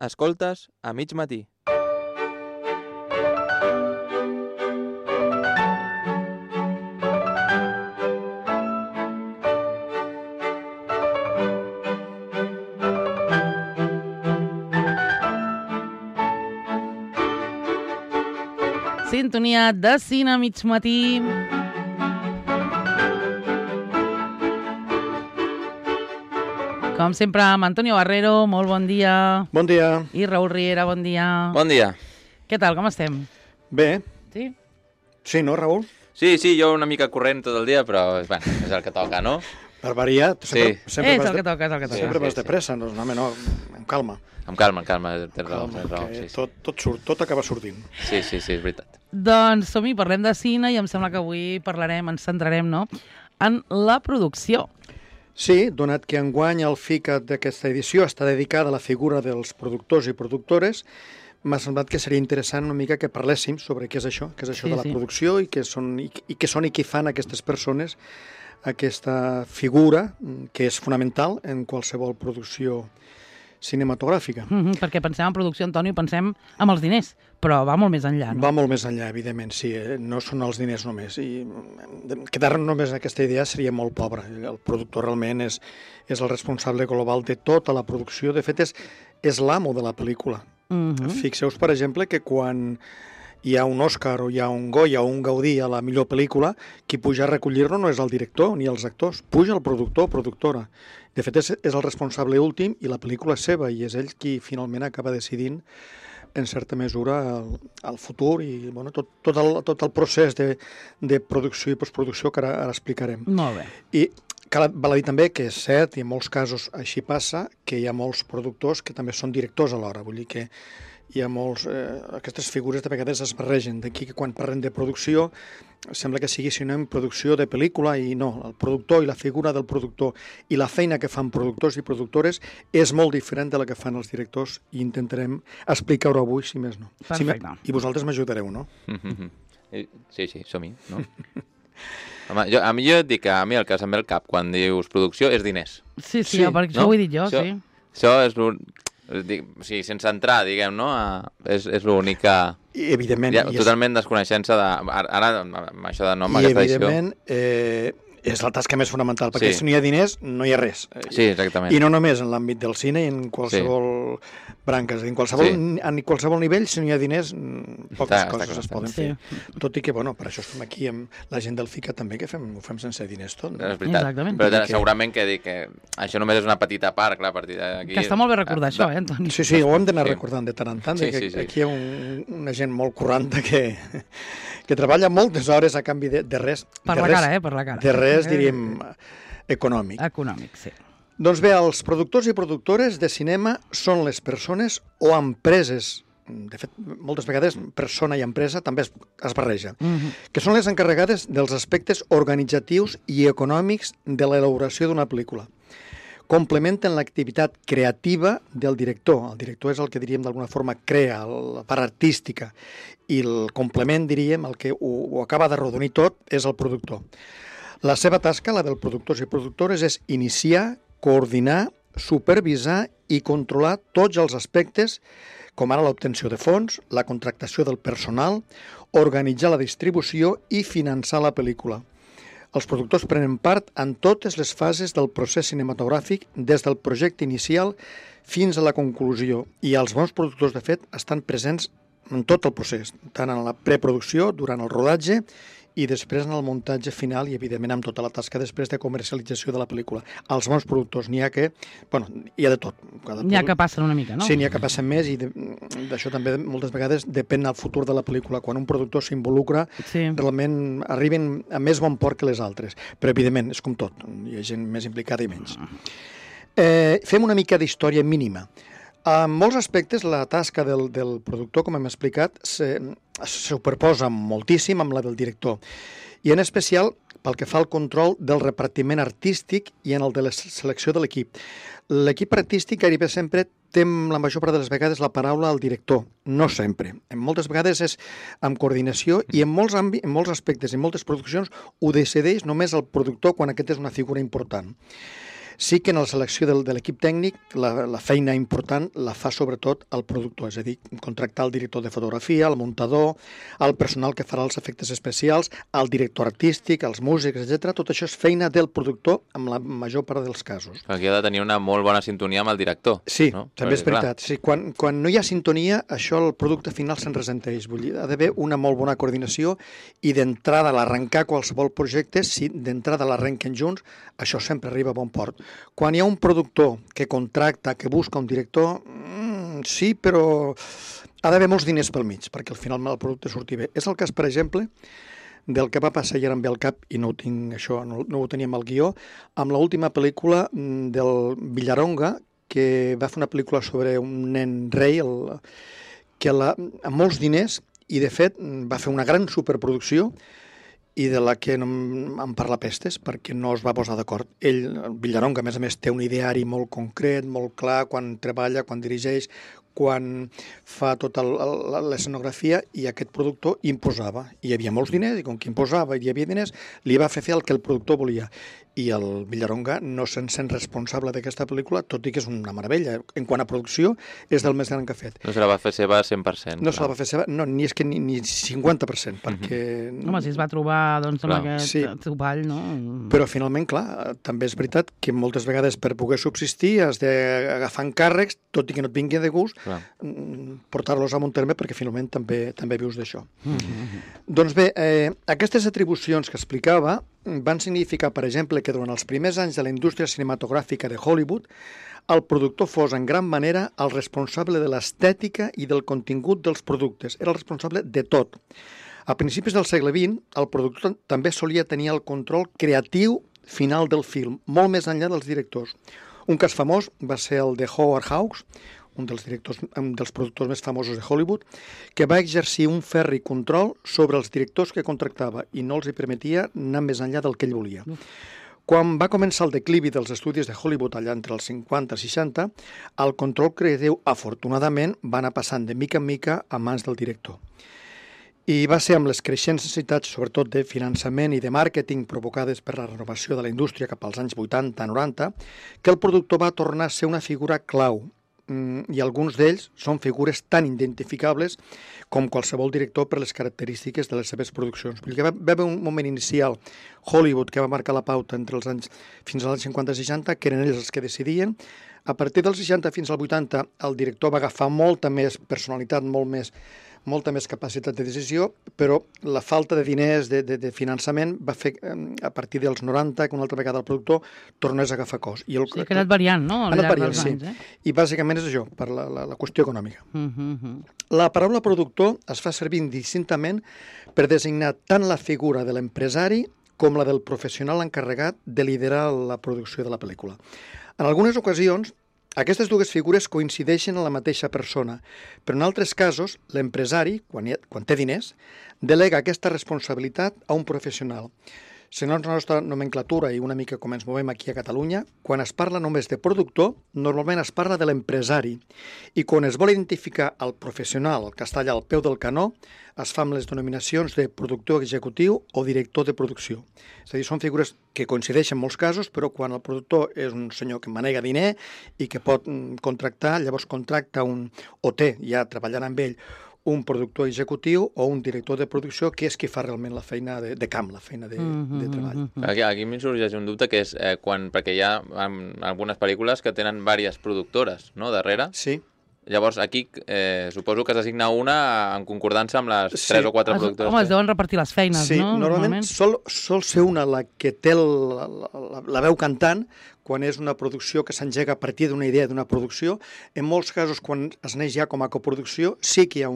Escoltes a mig matí. Sintonia de cine a mig matí. Com sempre, amb Antonio Barrero, molt bon dia. Bon dia. I Raül Riera, bon dia. Bon dia. Què tal, com estem? Bé. Sí? Sí, no, Raül? Sí, jo una mica corrent tot el dia, però bueno, és el que toca, no? Per variar, sempre És el que toca, és el que toca. Sempre vas de pressa, no, home, no, amb calma. Amb calma, tens raó. Que Sí. tot acaba sortint. Sí, és veritat. Doncs som-hi, parlem de cine i em sembla que avui ens centrarem, no?, en la producció. Sí, donat que enguany el FICAT d'aquesta edició està dedicada a la figura dels productors i productores, m'ha semblat que seria interessant una mica que parléssim sobre què és això de la producció i què són i què fan aquestes persones, aquesta figura que és fonamental en qualsevol producció cinematogràfica. Perquè pensem en producció, Antonio, pensem en els diners, però va molt més enllà, no? Va molt més enllà, evidentment, sí. No són els diners només. I quedar-nos només en aquesta idea seria molt pobre. El productor realment és el responsable global de tota la producció. De fet, és l'amo de la pel·lícula. Fixeu-vos, per exemple, que quan hi ha un Òscar o hi ha un Goya o un Gaudí a la millor pel·lícula, qui puja a recollir-lo no és el director ni els actors, puja el productor o productora. De fet, és el responsable últim i la pel·lícula és seva i és ell qui finalment acaba decidint en certa mesura el futur i bueno, tot el procés de producció i postproducció que ara explicarem. Molt bé. I val a dir també que és cert, i en molts casos així passa, que hi ha molts productors que també són directors alhora. Vull dir que hi ha molts... aquestes figures de vegades es barregen. D'aquí que quan parlem de producció sembla que sigui sinònim producció de pel·lícula i no, el productor i la figura del productor i la feina que fan productors i productores és molt diferent de la que fan els directors i intentarem explicar-ho avui, si més no. Perfecte. I vosaltres m'ajudareu, no? Sí, som-hi, no? Home, jo et dic que a mi el que se'm ve al cap quan dius producció és diners. Sí, perquè això ho he dit jo, sí. Això és sí, sense entrar, diguem, no? És l'únic que... I evidentment... Totalment desconeixença de... Ara, amb això de nom, aquesta edició... I evidentment és la tasca més fonamental, perquè si no hi ha diners, no hi ha res. Sí, exactament. I no només en l'àmbit del cine, en qualsevol branca, en qualsevol nivell, si no hi ha diners, poques coses es poden fer. Tot i que, bueno, per això estem aquí amb la gent del FICA també, que ho fem sense diners tot. És veritat, però segurament que dic que això només és una petita part, clar, a partir d'aquí... Que està molt bé recordar això, Antoni? Sí, ho hem d'anar recordant de tant en tant, que aquí hi ha una gent molt corranta que treballa moltes hores a canvi de res. Per la cara. De res, diríem, econòmic. Econòmic, sí. Doncs bé, els productors i productores de cinema són les persones o empreses, de fet, moltes vegades persona i empresa també es barreja, que són les encarregades dels aspectes organitzatius i econòmics de l'elaboració d'una pel·lícula. Complementen l'activitat creativa del director. El director és el que, diríem, d'alguna forma crea, la part artística, i el complement, diríem, el que ho acaba de rodonir tot, és el productor. La seva tasca, la dels productors i productores, és iniciar, coordinar, supervisar i controlar tots els aspectes, com ara l'obtenció de fons, la contractació del personal, organitzar la distribució i finançar la pel·lícula. Els productors prenen part en totes les fases del procés cinematogràfic, des del projecte inicial fins a la conclusió, i els bons productors, de fet, estan presents en tot el procés, tant en la preproducció, durant el rodatge, i després en el muntatge final i, evidentment, amb tota la tasca després de comercialització de la pel·lícula. Els bons productors n'hi ha que... Bueno, hi ha de tot. N'hi ha que passen una mica, no? Sí, n'hi ha que passen més i d'això també moltes vegades depèn del futur de la pel·lícula. Quan un productor s'involucra, realment arriben a més bon port que les altres. Però, evidentment, és com tot. Hi ha gent més implicada i menys. Fem una mica d'història mínima. En molts aspectes, la tasca del productor, com hem explicat, se superposa moltíssim amb la del director. I en especial pel que fa al control del repartiment artístic i en el de la selecció de l'equip. L'equip artístic gairebé sempre té la major part de les vegades la paraula al director, no sempre. En moltes vegades és amb coordinació i en molts aspectes, en moltes produccions, ho decideix només el productor quan aquest és una figura important. Sí que en la selecció de l'equip tècnic la feina important la fa sobretot el productor, és a dir, contractar el director de fotografia, el muntador, el personal que farà els efectes especials, el director artístic, els músics, etc. Tot això és feina del productor en la major part dels casos. Aquí ha de tenir una molt bona sintonia amb el director. Sí, no? també és veritat. Sí, quan no hi ha sintonia, això el producte final se'n ressenteix. Vull dir, ha d'haver una molt bona coordinació i d'entrada a l'arrencar qualsevol projecte, si d'entrada l'arrenquen junts, això sempre arriba a bon port. Quan hi ha un productor que contracta, que busca un director, sí, però ha d'haver molts diners pel mig, perquè al final el producte surti bé. És el cas, per exemple, del que va passar, i ara em ve al cap, i no ho tinc, això, no ho teníem al guió, amb l'última pel·lícula del Villaronga, que va fer una pel·lícula sobre un nen rei, amb molts diners, i de fet va fer una gran superproducció, i de la que no em parla pestes, perquè no es va posar d'acord. Ell, el Villaronga, a més, té un ideari molt concret, molt clar, quan treballa, quan dirigeix, quan fa tota l'escenografia, i aquest productor imposava. Hi havia molts diners, i com que imposava i hi havia diners, li va fer el que el productor volia. I el Villaronga no se'n sent responsable d'aquesta pel·lícula, tot i que és una meravella. En quant a producció, és del més gran que ha fet. No se la va fer seva 100%. No se la va fer seva, no, ni 50%, perquè... Home, si es va trobar doncs, amb aquest topall, no? Però finalment, clar, també és veritat que moltes vegades per poder subsistir has d'agafar encàrrecs, tot i que no et vingui de gust, portar-los a un terme perquè finalment també vius d'això. Doncs bé, aquestes atribucions que explicava van significar, per exemple, que durant els primers anys de la indústria cinematogràfica de Hollywood, el productor fos en gran manera el responsable de l'estètica i del contingut dels productes. Era el responsable de tot. A principis del segle XX, el productor també solia tenir el control creatiu final del film, molt més enllà dels directors. Un cas famós va ser el de Howard Hawks, un dels productors més famosos de Hollywood, que va exercir un ferri control sobre els directors que contractava i no els hi permetia anar més enllà del que ell volia. Quan va començar el declivi dels estudis de Hollywood allà entre els 50 i 60, el control creatiu, afortunadament, va anar passant de mica en mica a mans del director. I va ser amb les creixents necessitats, sobretot de finançament i de màrqueting provocades per la renovació de la indústria cap als anys 80-90, que el productor va tornar a ser una figura clau, i alguns d'ells són figures tan identificables com qualsevol director per les característiques de les seves produccions. Vull dir que va haver un moment inicial, Hollywood, que va marcar la pauta fins als anys 50 i 60, que eren ells els que decidien. A partir dels 60 fins al 80, el director va agafar molta més personalitat, molta més capacitat de decisió, però la falta de diners, de finançament, va fer, a partir dels 90, que una altra vegada el productor tornés a agafar cos. Sí, que ha anat variant, no?, al llarg dels anys. I bàsicament és això, per la qüestió econòmica. La paraula productor es fa servir indistintament per designar tant la figura de l'empresari com la del professional encarregat de liderar la producció de la pel·lícula. En algunes ocasions, aquestes dues figures coincideixen en la mateixa persona, però en altres casos, l'empresari, quan té diners, delega aquesta responsabilitat a un professional. Segons la nostra nomenclatura i una mica com ens movem aquí a Catalunya, quan es parla només de productor, normalment es parla de l'empresari. I quan es vol identificar el professional, el que està allà al peu del canó, es fa amb les denominacions de productor executiu o director de producció. És a dir, són figures que coincideixen en molts casos, però quan el productor és un senyor que manega diner i que pot contractar, llavors contracta o té, ja treballant amb ell, un productor executiu o un director de producció, que és qui fa realment la feina de camp, la feina de treball. Aquí em sorgeix un dubte, que és perquè hi ha algunes pel·lícules que tenen diverses productores, no?, darrere. Sí. Llavors, aquí suposo que s'assigna una en concordança amb les 3 o 4 productores. Home, es deuen repartir les feines, sí, no? Sí, normalment sol ser una la que té la veu cantant, quan és una producció que s'engega a partir d'una idea d'una producció. En molts casos, quan es neix ja com a coproducció, sí que hi ha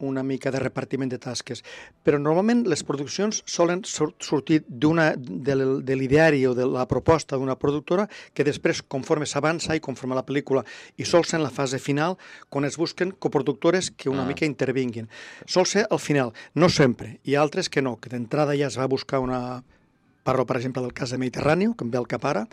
una mica de repartiment de tasques. Però normalment les produccions solen sortir de l'ideari o de la proposta d'una productora, que després, conforme s'avança i conforme la pel·lícula, i sol ser en la fase final, quan es busquen coproductores que una mica intervinguin. Sol ser al final, no sempre. Hi ha altres que no, que d'entrada ja es va buscar Parlo, per exemple, del cas de Mediterrani, que em ve al cap ara,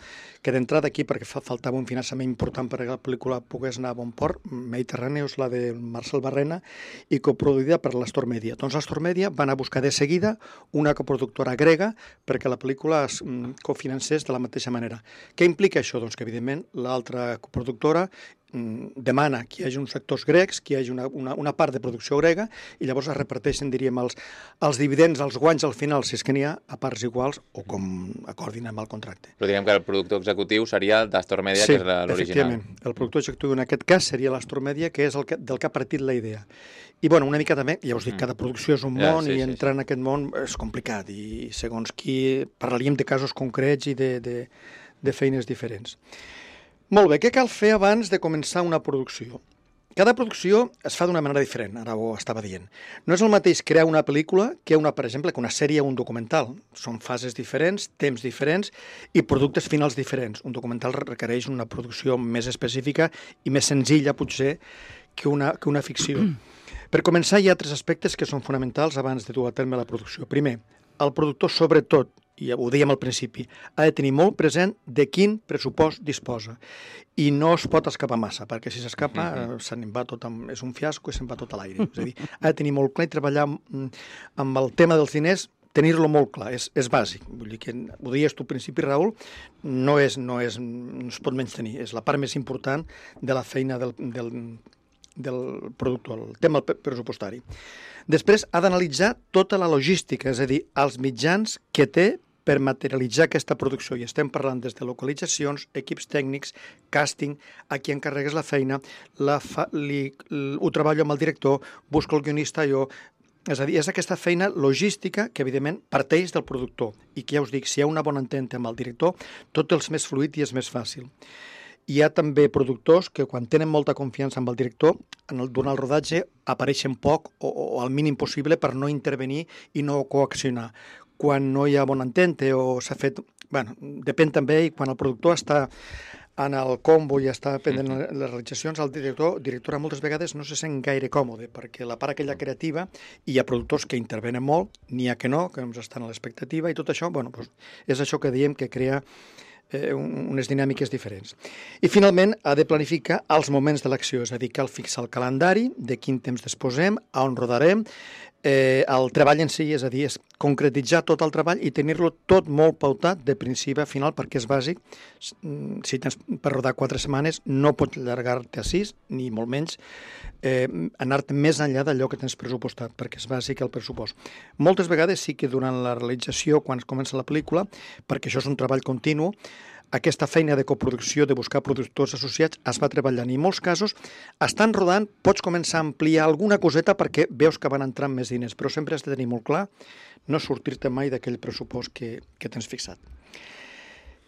que d'entrada aquí, perquè faltava un finançament important perquè la pel·lícula pogués anar a bon port, Mediterrani és la de Marcel Barrena i coproduïda per l'Astor Media. Doncs l'Astor Media va anar a buscar de seguida una coproductora grega perquè la pel·lícula es cofinancés de la mateixa manera. Què implica això? Doncs que, evidentment, l'altra coproductora demana que hi hagi uns sectors grecs, que hi hagi una part de producció grega, i llavors es reparteixen, diríem, els dividends, els guanys al final, si és que n'hi ha, a parts iguals o com acordin amb el contracte. Però diguem que el productor executiu seria d'Astor Media, sí, que és l'original. Efectivament. El productor executiu en aquest cas seria l'Astor Media, que és del que ha partit la idea. I, bueno, una mica també, ja us dic, cada producció és un món i entrar en aquest món és complicat i segons qui parlaríem de casos concrets i de feines diferents. Molt bé, què cal fer abans de començar una producció? Cada producció es fa d'una manera diferent, ara ho estava dient. No és el mateix crear una pel·lícula que per exemple, que una sèrie o un documental. Són fases diferents, temps diferents i productes finals diferents. Un documental requereix una producció més específica i més senzilla, potser, que una ficció. Per començar, hi ha 3 aspectes que són fonamentals abans de dur a terme la producció. Primer, el productor, sobretot, i ho dèiem al principi, ha de tenir molt present de quin pressupost disposa. I no es pot escapar massa, perquè si s'escapa se n'en va tot, és un fiasco i se'n va tot a l'aire. És a dir, ha de tenir molt clar i treballar amb el tema dels diners, tenir-lo molt clar, és bàsic. Vull dir que, ho deies tu al principi, Raül, no es pot menys tenir. És la part més important de la feina del productor, el tema pressupostari. Després ha d'analitzar tota la logística, és a dir, els mitjans que té per materialitzar aquesta producció. I estem parlant des de localitzacions, equips tècnics, càsting, a qui encarregues la feina, ho treballo amb el director, busco el guionista jo. És a dir, és aquesta feina logística que, evidentment, parteix del productor i que, ja us dic, si hi ha una bona ententa amb el director, tot és més fluid i és més fàcil. Hi ha també productors que, quan tenen molta confiança amb el director, durant el rodatge apareixen poc o al mínim possible per no intervenir i no coaccionar. Quan no hi ha bona entente o s'ha fet... Bueno, depèn també, i quan el productor està en el combo i està pendent les realitzacions, el directora moltes vegades no se sent gaire còmode, perquè la part aquella creativa, i hi ha productors que intervenen molt, n'hi ha que no, que només estan a l'expectativa, i tot això, bueno, doncs, és això que diem que crea unes dinàmiques diferents. I finalment ha de planificar els moments de l'acció, és a dir, cal fixar el calendari, de quin temps disposem, a on rodarem, el treball en si, és a dir, és concretitzar tot el treball i tenir-lo tot molt pautat de principi a final, perquè és bàsic. Si tens per rodar 4 setmanes, no pots allargar-te a 6, ni molt menys, anar-te més enllà d'allò que tens pressupostat, perquè és bàsic el pressupost. Moltes vegades sí que durant la realització, quan es comença la pel·lícula, perquè això és un treball continu, aquesta feina de coproducció, de buscar productors associats, es va treballant. I en molts casos, estan rodant, pots començar a ampliar alguna coseta perquè veus que van entrant més diners, però sempre has de tenir molt clar no sortir-te mai d'aquell pressupost que tens fixat.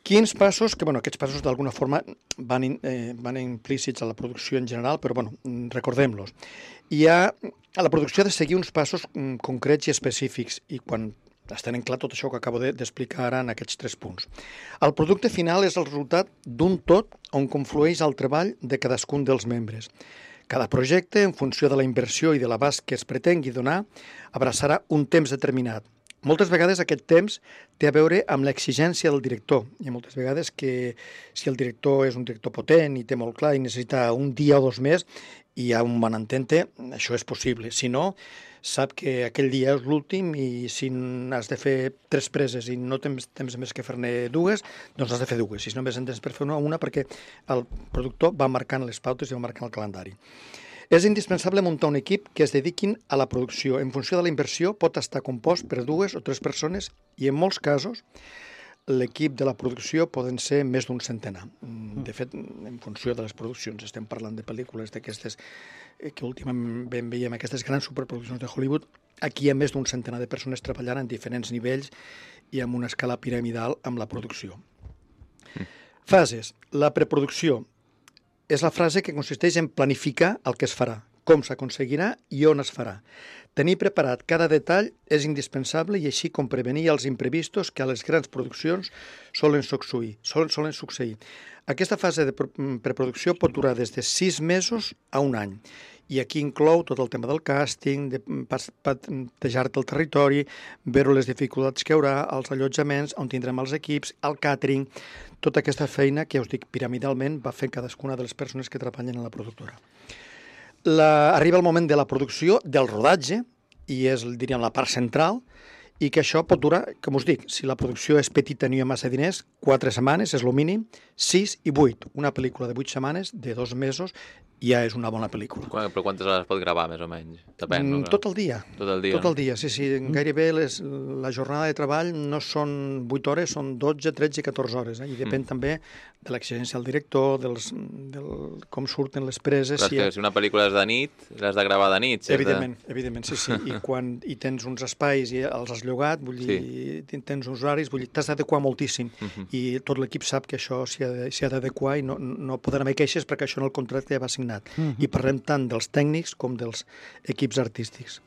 Quins passos, que aquests passos d'alguna forma van implícits a la producció en general, però recordem-los. A la producció ha de seguir uns passos concrets i específics, i quan es tenen clar tot això que acabo d'explicar ara en aquests 3 punts. El producte final és el resultat d'un tot on conflueix el treball de cadascun dels membres. Cada projecte, en funció de la inversió i de l'abast que es pretengui donar, abraçarà un temps determinat. Moltes vegades aquest temps té a veure amb l'exigència del director. Hi ha moltes vegades que si el director és un director potent i té molt clar i necessita un dia o 2 més i hi ha un bon entente, això és possible. Si no, sap que aquell dia és l'últim i si has de fer 3 preses i no tens temps més que fer-ne 2, doncs has de fer 2. Si només en tens per fer una perquè el productor va marcant les pautes i va marcant el calendari. És indispensable muntar un equip que es dediquin a la producció. En funció de la inversió pot estar compost per 2 o 3 persones i en molts casos l'equip de la producció poden ser més d'un centenar. De fet, en funció de les produccions, estem parlant de pel·lícules d'aquestes que últimament veiem, aquestes grans superproduccions de Hollywood, aquí hi ha més d'un centenar de persones treballant en diferents nivells i amb una escala piramidal amb la producció. Fases. La preproducció és la fase que consisteix en planificar el que es farà, com s'aconseguirà i on es farà. Tenir preparat cada detall és indispensable i així com prevenir els imprevistos que a les grans produccions solen succeir. Aquesta fase de preproducció pot durar des de 6 mesos a 1 any I aquí inclou tot el tema del càsting, de patejar-te el territori, veure les dificultats que hi haurà, els allotjaments, on tindrem els equips, el càtering, tota aquesta feina que, us dic, piramidalment va fer cadascuna de les persones que treballen a la productora. Arriba el moment de la producció, del rodatge, i és, diríem, la part central, i que això pot durar, com us dic, si la producció és petita i no hi ha massa diners, 4 setmanes és el mínim, 6 i 8. Una pel·lícula de 8 setmanes, de 2 mesos, ja és una bona pel·lícula. Però quantes hores pot gravar, més o menys? Depèn, no? Tot el dia. Tot el dia, Tot el dia, sí. Gairebé la jornada de treball no són 8 hores, són 12, 13, 14 hores. I depèn també de l'exigència del director, com surten les preses. Però és que si una pel·lícula és de nit, l'has de gravar de nit. Evidentment, sí. I quan tens uns espais i els has llogat, vull dir, tens uns horaris, vull dir, t'has d'adequar moltíssim. I tot l'equip sap que això s'hi ha d'adequar i no poden haver queixes perquè això en el contracte ja va signat. I parlem tant dels tècnics com dels equips artístics.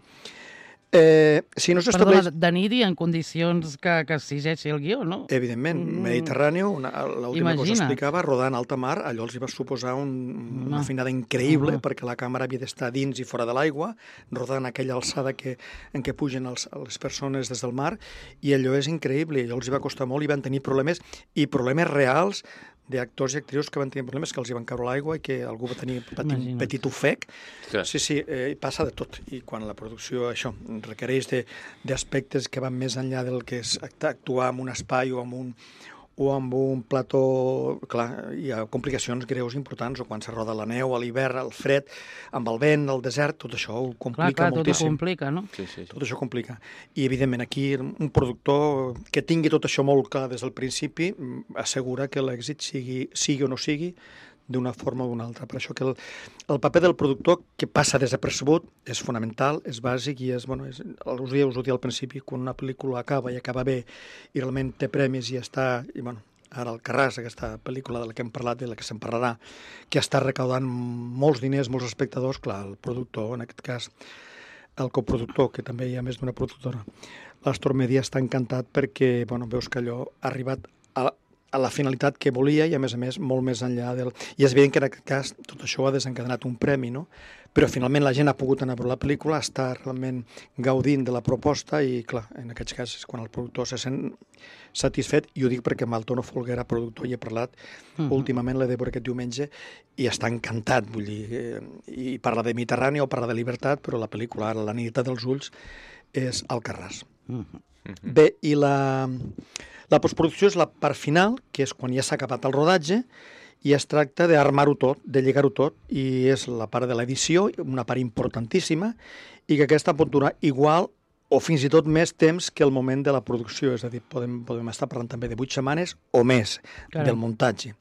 Si no s'estableix... Perdona, de nit i en condicions que exigeixi el guió, no? Evidentment, Mediterrani, l'última que us explicava, rodant alta mar, allò els hi va suposar una feinada increïble, perquè la càmera havia d'estar dins i fora de l'aigua, rodant aquella alçada en què pugen les persones des del mar, i allò és increïble, allò els hi va costar molt i van tenir problemes reals d'actors i actrius que van tenir problemes, que els hi van caure l'aigua i que algú va tenir un petit ofec. Sí, passa de tot. I quan la producció, això, requereix d'aspectes que van més enllà del que és actuar en un espai o amb un plató, clar, hi ha complicacions greus importants, o quan se roda la neu, a l'hivern, el fred, amb el vent, el desert, tot això ho complica moltíssim. Tot ho complica, no? Sí. Tot això complica. I, evidentment, aquí un productor que tingui tot això molt clar des del principi assegura que l'èxit sigui o no sigui, d'una forma o d'una altra. Per això que el paper del productor, que passa desapercebut, és fonamental, és bàsic i us ho dic al principi, quan una pel·lícula acaba i acaba bé i realment té premis i està... Ara el Carràs, aquesta pel·lícula de la que hem parlat, de la que se'n parlarà, que està recaudant molts diners, molts espectadors, clar, el productor, en aquest cas, el coproductor, que també hi ha més d'una productora, l'Astor Media està encantat perquè veus que allò ha arribat a la finalitat que volia i, a més, molt més enllà del... I és evident que en aquest cas tot això ha desencadenat un premi, no? Però finalment la gent ha pogut anar a veure la pel·lícula, està realment gaudint de la proposta i, clar, en aquests casos, quan el productor se sent satisfet, i ho dic perquè amb el Tono Folguera, productor, hi he parlat últimament, l'he de veure aquest diumenge, i està encantat, vull dir, i parla de Mediterrani o parla de llibertat, però la pel·lícula, ara, La nit dels ulls, és Alcarràs. Bé, i la postproducció és la part final, que és quan ja s'ha acabat el rodatge, i es tracta d'armar-ho tot, de lligar-ho tot, i és la part de l'edició, una part importantíssima, i que aquesta pot durar igual o fins i tot més temps que el moment de la producció, és a dir, podem estar parlant també de 8 setmanes o més del muntatge.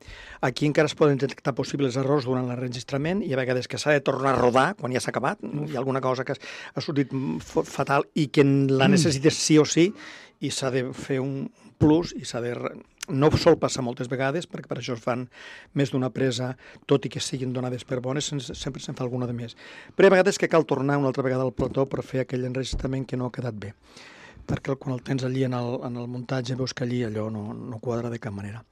Aquí encara es poden detectar possibles errors durant l'enregistrament i a vegades que s'ha de tornar a rodar quan ja s'ha acabat, hi ha alguna cosa que ha sortit fatal i que la necessites sí o sí, i s'ha de fer un plus i s'ha de... No sol passar moltes vegades, perquè per això es fan més d'una presa, tot i que siguin donades per bones, sempre se'n fa alguna de més. Però hi ha vegades que cal tornar una altra vegada al plató per fer aquell enregistrament que no ha quedat bé, perquè quan el tens allí en el muntatge veus que allí allò no quadra de cap manera.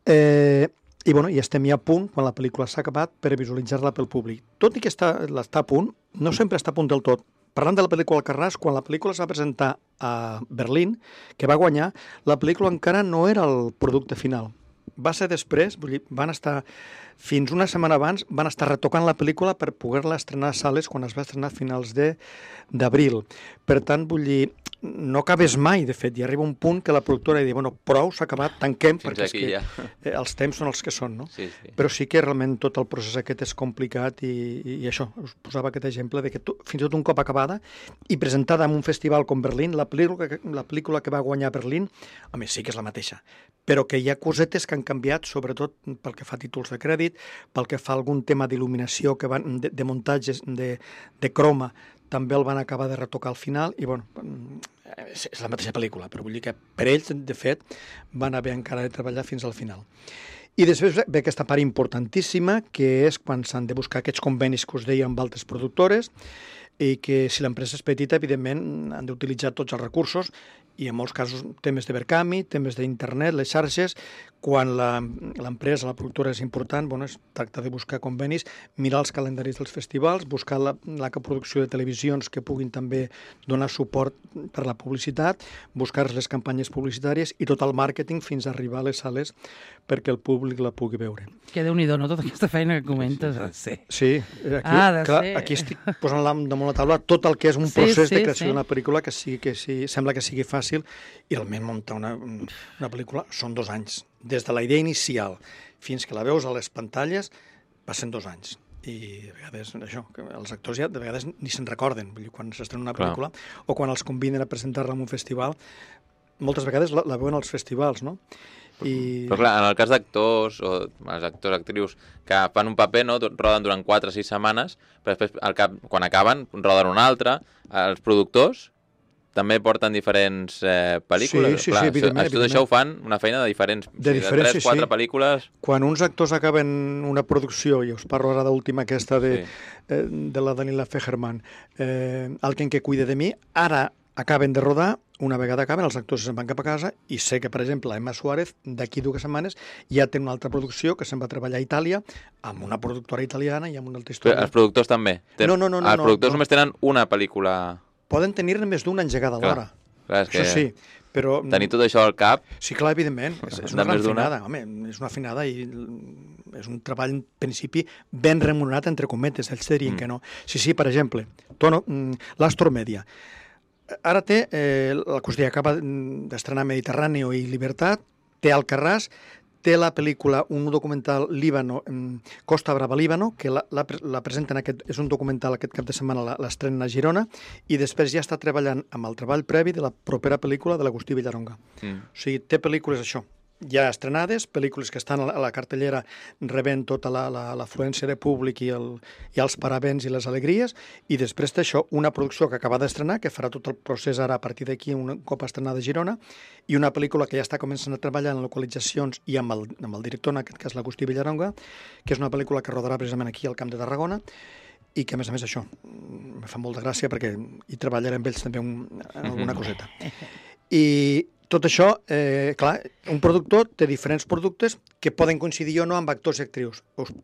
I estem ja a punt, quan la pel·lícula s'ha acabat, per visualitzar-la pel públic. Tot i que està a punt, no sempre està a punt del tot. Parlant de la pel·lícula Alcarràs, quan la pel·lícula es va presentar a Berlín, que va guanyar, la pel·lícula encara no era el producte final. Va ser després, vull dir, van estar fins una setmana abans, van estar retocant la pel·lícula per poder-la estrenar a sales quan es va estrenar a finals d'abril. Per tant, vull dir, no acabes mai, de fet, i arriba un punt que la productora diu, prou, s'ha acabat, tanquem, perquè és que els temps són els que són, no? Sí. Però sí que realment tot el procés aquest és complicat i això, us posava aquest exemple de que fins i tot un cop acabada i presentada en un festival com Berlín, la pel·lícula que va guanyar a Berlín, home, sí que és la mateixa, però que hi ha cosetes que han canviat, sobretot pel que fa a títols de crèdit, pel que fa a algun tema d'il·luminació, de muntatges, de croma, també el van acabar de retocar al final i, és la mateixa pel·lícula, però vull dir que per ells, de fet, van haver encara de treballar fins al final. I després ve aquesta part importantíssima, que és quan s'han de buscar aquests convenis que us deia amb altres productores i que si l'empresa és petita, evidentment, han d'utilitzar tots els recursos i en molts casos temes de Verkami, temes d'internet, les xarxes. Quan l'empresa, la productora és important, es tracta de buscar convenis, mirar els calendaris dels festivals, buscar la coproducció de televisions que puguin també donar suport per la publicitat, buscar les campanyes publicitàries i tot el màrqueting fins a arribar a les sales perquè el públic la pugui veure. Que Déu-n'hi-do, no? Tota aquesta feina que comentes. Sí, aquí estic posant damunt la taula tot el que és un procés de creació d'una pel·lícula que sembla que sigui fàcil, i realment muntar una pel·lícula són 2 anys. Des de la idea inicial fins que la veus a les pantalles passen 2 anys. I a vegades això, els actors ja de vegades ni se'n recorden, vull dir, quan s'estrena una pel·lícula o quan els conviden a presentar-la en un festival, moltes vegades la veuen als festivals, no? Però clar, en el cas d'actors o els actors, actrius que fan un paper, no, roden durant 4 o 6 setmanes, però després quan acaben roden un altre. Els productors també porten diferents pel·lícules. Sí, evidentment. Tot això ho fan una feina de diferents, de 3-4 pel·lícules. Quan uns actors acaben una producció, i us parlo ara d'última aquesta de la Daniela Fegerman, Alguien que cuide de mi, ara acaben de rodar, una vegada acaben, els actors se'n van cap a casa, i sé que, per exemple, la Emma Suárez, d'aquí 2 setmanes, ja té una altra producció que se'n va treballar a Itàlia, amb una productora italiana i amb una altra història. Però els productors també? No. Els productors només tenen una pel·lícula... Poden tenir-ne més d'una engegada alhora. Això sí, però... Tenir tot això al cap... Sí, clar, evidentment. És una gran finada. Home, és una finada i és un treball, en principi, ben remunerat, entre cometes. Ells dirien que no. Sí, per exemple, l'Astor Media. Ara té, la qüestió acaba d'estrenar Mediterráneo i Libertad, té Alcarràs, té la pel·lícula, un documental Líbano, Costa Brava, Líbano, que la presenten, és un documental aquest cap de setmana, l'estrenen a Girona, i després ja està treballant amb el treball previ de la propera pel·lícula de l'Agustí Villaronga. O sigui, té pel·lícules, això, ja estrenades, pel·lícules que estan a la cartellera rebent tota l'afluència de públic i els paravents i les alegries, i després té això, una producció que acaba d'estrenar, que farà tot el procés ara a partir d'aquí, un cop estrenada a Girona, i una pel·lícula que ja està començant a treballar en localitzacions i amb el director, en aquest cas l'Agustí Villaronga, que és una pel·lícula que rodarà precisament aquí al Camp de Tarragona, i que, a més, això, me fa molta gràcia perquè hi treballaré amb ells també en alguna coseta. I tot això, clar, un productor té diferents productes que poden coincidir o no amb actors i actrius.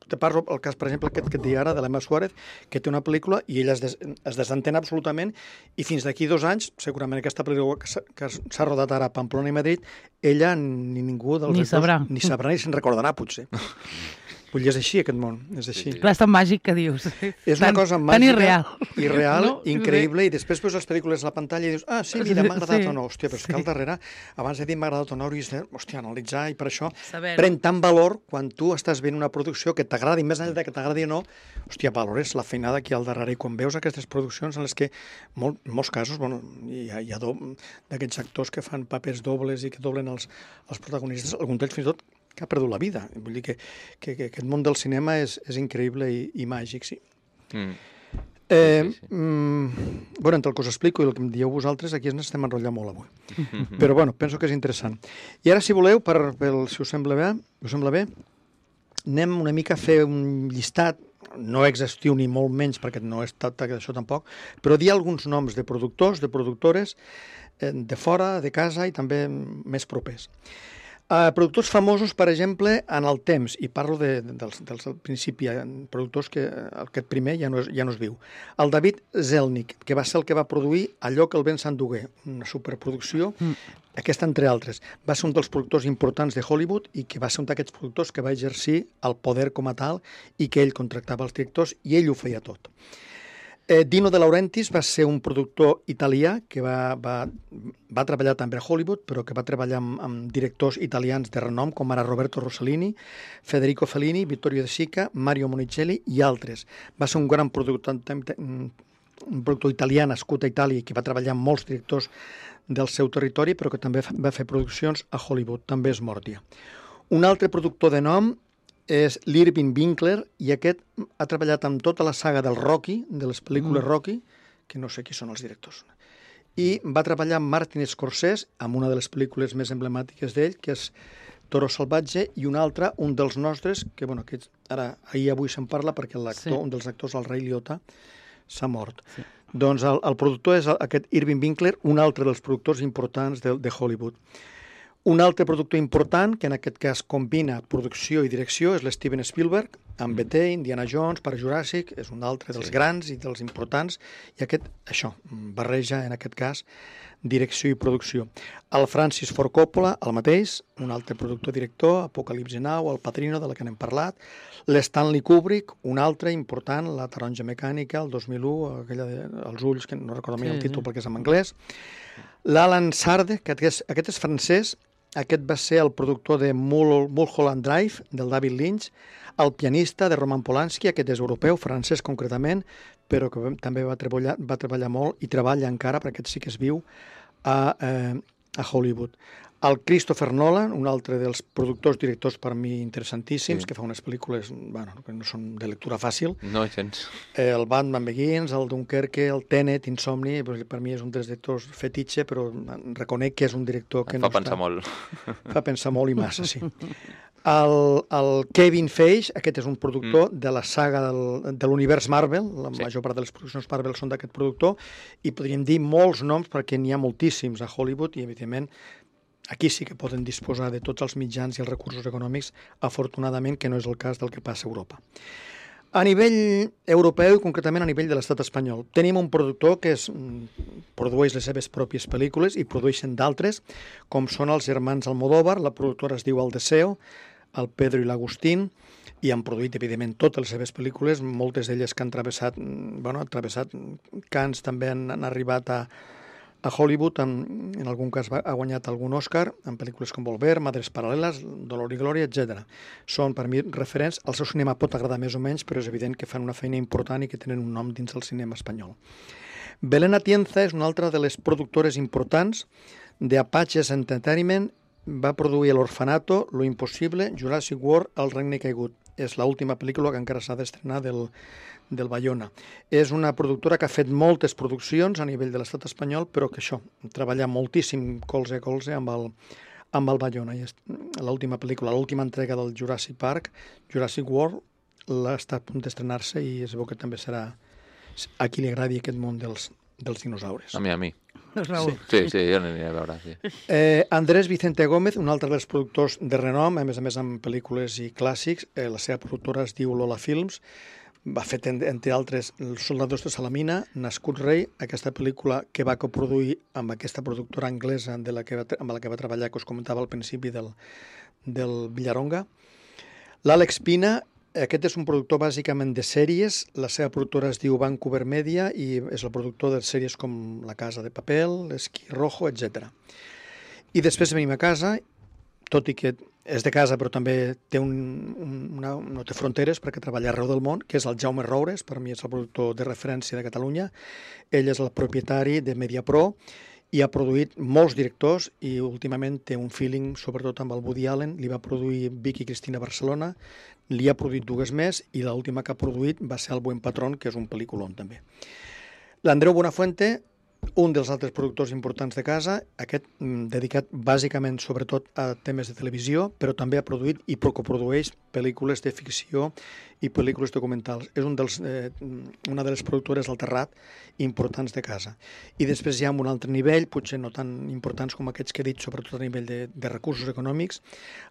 Te parlo el cas, per exemple, aquest que et dic ara, de l'Emma Suárez, que té una pel·lícula i ella es desentén absolutament, i fins d'aquí 2 anys, segurament aquesta pel·lícula que s'ha rodat ara a Pamplona i Madrid, ella ni ningú dels actors ni sabrà ni se'n recordarà, potser. Vull dir, és així, aquest món, és així. Clar, és tan màgic que dius. És una cosa màgica, irreal, no? increïble, i després veus les pel·lícules a la pantalla i dius, sí, mira, m'ha agradat o no. Hòstia, però és que al darrere, abans de dir m'ha agradat o no, hauries de, analitzar, i per això pren tant valor quan tu estàs veient una producció que t'agradi, més enllà que t'agradi o no, valores la feinada que hi ha al darrere, i quan veus aquestes produccions en les que, en molts casos, hi ha d'aquests actors que fan papers dobles i que doblen els protagonistes, algun d'ells fins i tot que ha perdut la vida. Vull dir que aquest món del cinema és increïble i màgic, sí. Entre el que us explico i el que em dieu vosaltres, aquí ens estem enrotllant molt avui. Però, penso que és interessant. I ara, si voleu, si us sembla bé, anem una mica a fer un llistat, no exhaustiu ni molt menys, perquè no he estat això tampoc, però dir alguns noms de productors, de productores, de fora, de casa i també més propers. Productors famosos, per exemple, en el temps, i parlo dels principi, productors que aquest primer ja no es viu. El David Zelnick, que va ser el que va produir Allò que el vent s'endugué, una superproducció, aquesta entre altres. Va ser un dels productors importants de Hollywood i que va ser un d'aquests productors que va exercir el poder com a tal i que ell contractava els directors i ell ho feia tot. Dino De Laurentiis va ser un productor italià que va treballar també a Hollywood, però que va treballar amb directors italians de renom, com ara Roberto Rossellini, Federico Fellini, Vittorio De Sica, Mario Monicelli i altres. Va ser un gran productor italià nascut a Itàlia, que va treballar amb molts directors del seu territori, però que també va fer produccions a Hollywood, també és mort ja. Un altre productor de nom és l'Irving Winkler, i aquest ha treballat amb tota la saga del Rocky, de les pel·lícules Rocky, que no sé qui són els directors. I va treballar amb Martin Scorsese, amb una de les pel·lícules més emblemàtiques d'ell, que és Toro Salvatge, i una altra, un dels nostres, que ara, avui se'n parla, perquè un dels actors, el Ray Liotta, s'ha mort. Sí. Doncs el productor és aquest Irving Winkler, un altre dels productors importants de Hollywood. Un altre productor important, que en aquest cas combina producció i direcció, és l'Steven Spielberg, amb ET, Indiana Jones, Parc Juràssic, és un altre dels grans i dels importants, i això, barreja, en aquest cas, direcció i producció. El Francis Ford Coppola, el mateix, un altre productor-director, Apocalipsi Now, El Padrino, de la que n'hem parlat, l'Stanley Kubrick, un altre important, La taronja mecànica, el 2001, aquella Els ulls, que no recordo mai el títol perquè és en anglès, l'Alan Sarde, que aquest és francès, aquest va ser el productor de Mulholland Drive, del David Lynch, el pianista de Roman Polanski, aquest és europeu, francès concretament, però que també va treballar molt i treballa encara, perquè aquest sí que es viu, a Hollywood. El Christopher Nolan, un altre dels productors, directors per mi interessantíssims, que fa unes pel·lícules que no són de lectura fàcil. No, gens. El Batman Begins, el Dunkerque, el Tenet, Insomni, per mi és un dels directors fetitxe, però reconec que és un director que fa pensar molt. Fa pensar molt i massa, sí. El Kevin Feige, aquest és un productor de la saga de l'univers Marvel, la major part de les produccions Marvel són d'aquest productor, i podríem dir molts noms perquè n'hi ha moltíssims a Hollywood i, evidentment, aquí sí que poden disposar de tots els mitjans i els recursos econòmics, afortunadament, que no és el cas del que passa a Europa. A nivell europeu i concretament a nivell de l'estat espanyol, tenim un productor que produeix les seves pròpies pel·lícules i produeixen d'altres, com són els germans Almodóvar, la productora es diu El Deseo, el Pedro i l'Agustín, i han produït, evidentment, totes les seves pel·lícules, moltes d'elles que han travessat Cannes, també han arribat a Hollywood, en algun cas ha guanyat algun Òscar, en pel·lícules com Volver, Madres Paral·leles, Dolor i Glòria, etc. Són, per mi, referents. El seu cinema pot agradar més o menys, però és evident que fan una feina important i que tenen un nom dins del cinema espanyol. Belén Atienza és una altra de les productores importants de Apaches Entertainment. Va produir L'Orfanato, Lo Impossible, Jurassic World, El Regne Caigut. És l'última pel·lícula que encara s'ha d'estrenar del Bayona. És una productora que ha fet moltes produccions a nivell de l'estat espanyol, però que això, treballa moltíssim colze a colze amb el Bayona. L'última pel·lícula, l'última entrega del Jurassic Park, Jurassic World, està a punt d'estrenar-se i es veu que també serà a qui li agradi aquest món dels dinosaures. A mi. Raül. Sí, jo n'aniré a veure, sí. Andrés Vicente Gómez, un altre dels productors de renom, a més amb pel·lícules i clàssics, la seva productora es diu Lola Films, va fer, entre altres, Els soldadors de Salamina, Nascut rei, aquesta pel·lícula que va coproduir amb aquesta productora anglesa amb la que va treballar, que us comentava al principi del Villaronga. L'Àlex Pina, aquest és un productor bàsicament de sèries, la seva productora es diu Vancouver Media i és el productor de sèries com La Casa de Papel, Esquí Rojo, etc. I després venim a casa, tot i que és de casa però també no té fronteres perquè treballa arreu del món, que és el Jaume Roures, per mi és el productor de referència de Catalunya. Ell és el propietari de Mediapro i ha produït molts directors i últimament té un feeling sobretot amb el Woody Allen. Li va produir Vicky Cristina Barcelona, li ha produït dues més i l'última que ha produït va ser El Buen Patrón, que és un pel·lículon també. L'Andreu Buenafuente, un dels altres productors importants de casa, aquest dedicat bàsicament sobretot a temes de televisió, però també ha produït i coprodueix pel·lícules de ficció i pel·lícules documentals. És una de les productores del Terrat importants de casa. I després hi ha un altre nivell, potser no tan importants com aquests que he dit, sobretot a nivell de recursos econòmics.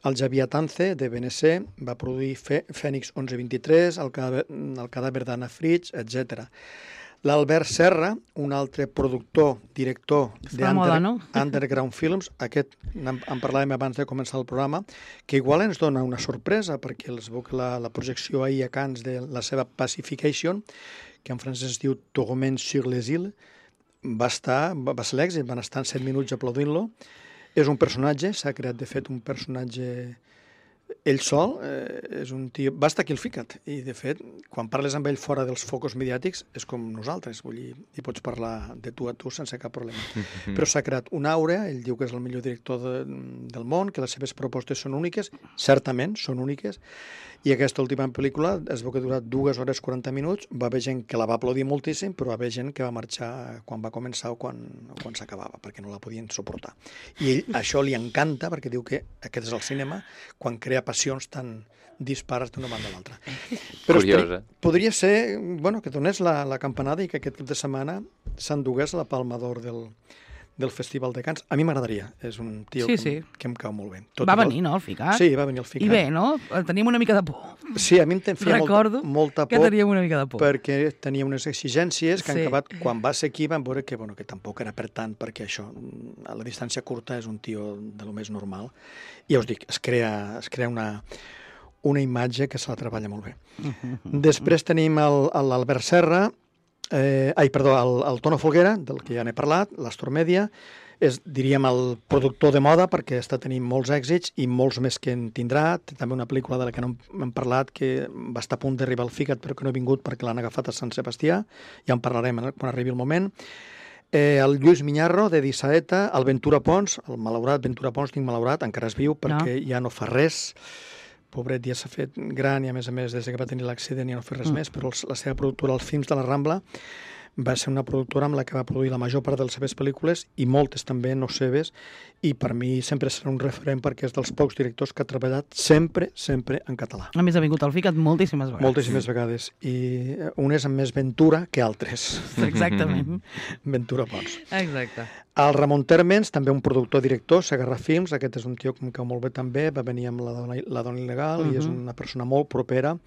El Xavier Tance, de BNC, va produir Fènix 1123, el cadàver d'Anna Fritz, etc. L'Albert Serra, un altre productor, director d'Underground Films, aquest en parlàvem abans de començar el programa, que igual ens dona una sorpresa, perquè els veu que la projecció ahir a Cannes de la seva Pacification, que en francès es diu Tourment sur les îles, va ser l'èxit, van estar 7 minuts aplaudint-lo. És un personatge, s'ha creat de fet un personatge ell sol, és un tio... Basta qui el fica't. I, de fet, quan parles amb ell fora dels focus mediàtics, és com nosaltres, vull dir, hi pots parlar de tu a tu sense cap problema. Però s'ha creat una aura, ell diu que és el millor director del món, que les seves propostes són úniques, certament són úniques, I aquesta última pel·lícula es veu que ha durat 2 hores 40 minuts, va haver gent que la va aplaudir moltíssim, però va haver gent que va marxar quan va començar o quan s'acabava, perquè no la podien suportar. I ell això li encanta, perquè diu que aquest és el cinema, quan crea passions tan dispares d'una banda a l'altra. Però Curiosa. podria ser, bueno, que donés la campanada i que aquest cap de setmana s'endugués la Palma d'Or del Festival de Cants. A mi m'agradaria, és un tio que em cau molt bé. Va venir, no, el Ficat? Sí, va venir el Ficat. I bé, no? Teníem una mica de por. Sí, a mi em feia molta por, que teníem una mica de por. perquè tenia unes exigències que han acabat, quan va ser aquí vam veure que tampoc era per tant, perquè això, a la distància curta és un tio de lo més normal. I ja us dic, es crea una imatge que se la treballa molt bé. Després tenim l'Albert Serra, el Tono Folguera, del que ja n'he parlat, l'Astor Media, és, diríem, el productor de moda perquè està tenint molts èxits i molts més que en tindrà. Té també una pel·lícula de la que no hem parlat que va estar a punt d'arribar al Ficat però que no ha vingut perquè l'han agafat a Sant Sebastià. Ja en parlarem quan arribi el moment. El Lluís Miñarro, de Dissaeta, el Ventura Pons, el malaurat Ventura Pons, tinc malaurat, encara és viu perquè ja no fa res. Pobret, ja s'ha fet gran i, a més, des que va tenir l'accident ja no fa res més, però la seva productora, els Films de la Rambla, va ser una productora amb la que va produir la major part de les seves pel·lícules i moltes també no seves, i per mi sempre serà un referent perquè és dels pocs directors que ha treballat sempre en català. A més, ha vingut al Ficat moltíssimes vegades. Moltíssimes vegades, i unes amb més ventura que altres. Exactament. Ventura Pons. Exacte. El Ramon Térmens, també un productor-director, Segarra Films, aquest és un tio que em cau molt bé també, va venir amb La dona il·legal i és una persona molt propera.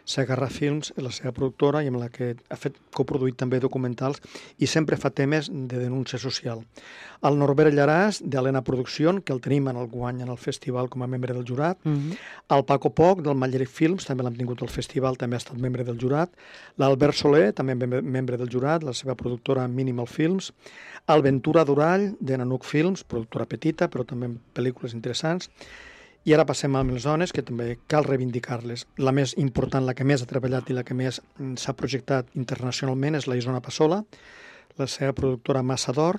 Segarra Films és la seva productora i amb la que ha coproduït també documentals i sempre fa temes de denúncia social. El Norbert Llaràs, d'Helena Producción, que el tenim en el guany en el festival com a membre del jurat. El Paco Poch, del Malleric Films, també l'hem tingut al festival, també ha estat membre del jurat. L'Albert Soler, també membre del jurat, la seva productora Minimal Films. El Ventura Durall, de Nanuc Films, productora petita, però també amb pel·lícules interessants. I ara passem amb les dones, que també cal reivindicar-les. La més important, la que més ha treballat i la que més s'ha projectat internacionalment és la Isona Passola, la seva productora Massa d'Or.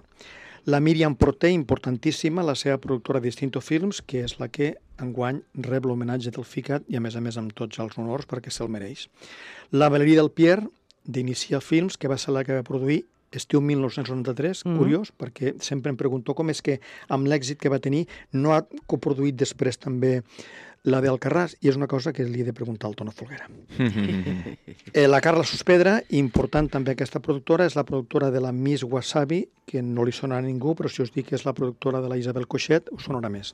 La Míriam Porter, importantíssima, la seva productora Distinto Films, que és la que enguany rep l'homenatge del Ficat i, a més amb tots els honors perquè se'l mereix. La Valérie Del Pierre, d'Inicia Films, que va ser la que va produir Estiu 1993, curiós, perquè sempre em pregunto com és que amb l'èxit que va tenir no ha coproduït després també la d'Alcarràs, i és una cosa que li he de preguntar al Tono Folguera. La Carla Sospedra, important també aquesta productora, és la productora de la Miss Wasabi, que no li sonarà a ningú, però si us dic que és la productora de la Isabel Coixet, us sonarà més.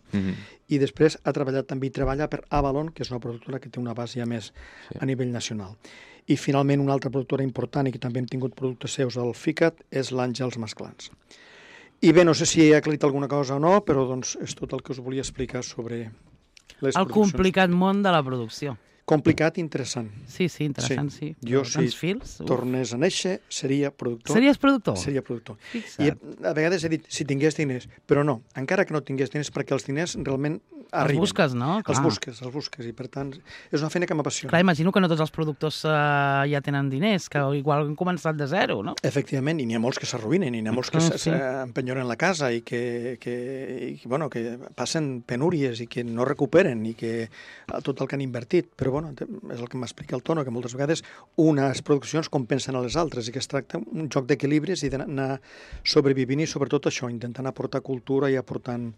I després ha treballat també i treballa per Avalon, que és una productora que té una base ja més a nivell nacional. I finalment una altra productora important i que també hem tingut productes seus al Ficat és l'Àngels Masclans. I bé, no sé si he aclarit alguna cosa o no, però doncs és tot el que us volia explicar sobre les produccions. El complicat món de la producció. Complicat i interessant. Sí, interessant, sí. Jo, si tornés a néixer, seria productor. Series productor? Seria productor. Fixa't. I a vegades he dit, si tingués diners, però no, encara que no tingués diners, perquè els diners realment arriben. Els busques, no? Els busques, i per tant és una feina que m'apassiona. Clar, imagino que no tots els productors ja tenen diners, que igual han començat de zero, no? Efectivament, i n'hi ha molts que s'arruïnen, i n'hi ha molts que s'empenyoren la casa i que passen penúries i que no recuperen i que tot el que han invertit. Però bueno, és el que m'explica el Tono, que moltes vegades unes produccions compensen a les altres i que es tracta un joc d'equilibris i d'anar sobrevivint i sobretot això, intentant aportar cultura i aportant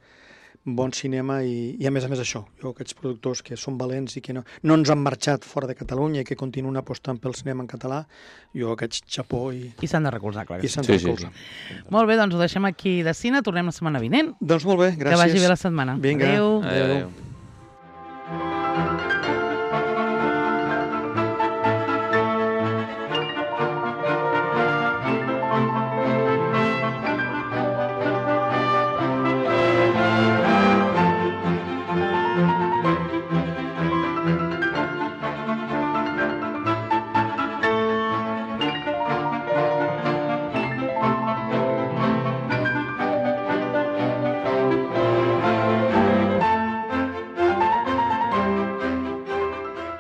bon cinema i a més això, jo aquests productors que són valents i que no ens han marxat fora de Catalunya i que continuen apostant pel cinema en català, jo aquests xapó i s'han de recolzar, clar. I s'han de recolzar. Molt bé, doncs ho deixem aquí de cine, tornem la setmana vinent. Doncs molt bé, gràcies. Que vagi bé la setmana. Vinga. Adéu. Adéu.